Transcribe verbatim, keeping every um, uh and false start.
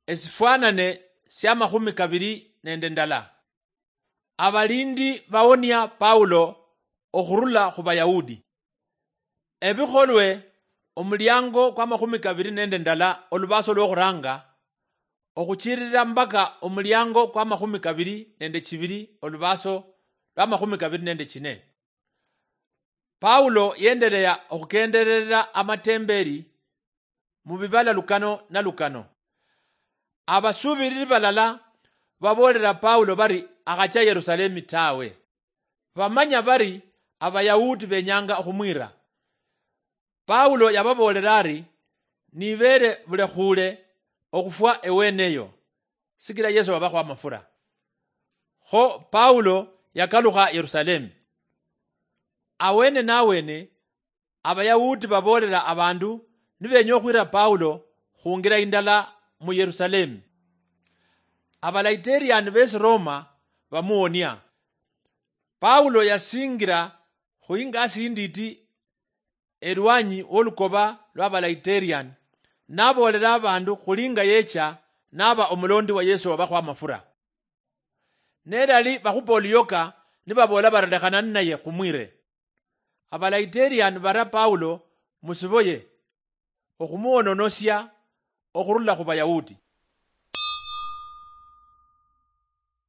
Esifwanane sia makhumi kabiri nende ndala. Abalindi bawonia Paulo okhurula khu Bayahudi. Ebikholwe, omuliango kwa makhumi kabiri nende ndala, olubaaso lwokhuranga, okhuchirira mpaka omuliango kwa makhumi kabiri nende chibiri, olubaaso lwa makhumi kabiri nende chine. Paulo yendelea okhukenderera amatemberi mu bibala lukano na lukano. Abasubiriri balala baboolera Paulo bari akhachia Yerusalemi tawe. Bamanya bari Abayahudi benyanga okhumwira. Paulo yababoolera ari, "Nibeere bulekhuule okhufwa eweneyo, sikila Yesu wabakhwa amafura." Kho Paulo yakalukha Yerusalemi. Awene nawene, Abayahudi baboolera abandu nibeenya okhwira Paulo khungira indala mu Yerusalemi. Abalaiteriani besi Roma bamuwonia. Paulo yasingira khu ingasi inditi elwanyi wolukoba lwa Abalaiteriani, naboolera abandu khuli nga yecha naba omulondi wa Yesu wabakhwa amafura. Nelali bakhupa oluyoka, nibaboola bari, "Lekhana ninaye khumwire." Abalaiteriani bara Paulo musiboye okhumuwononosia okhurula khu Bayahudi.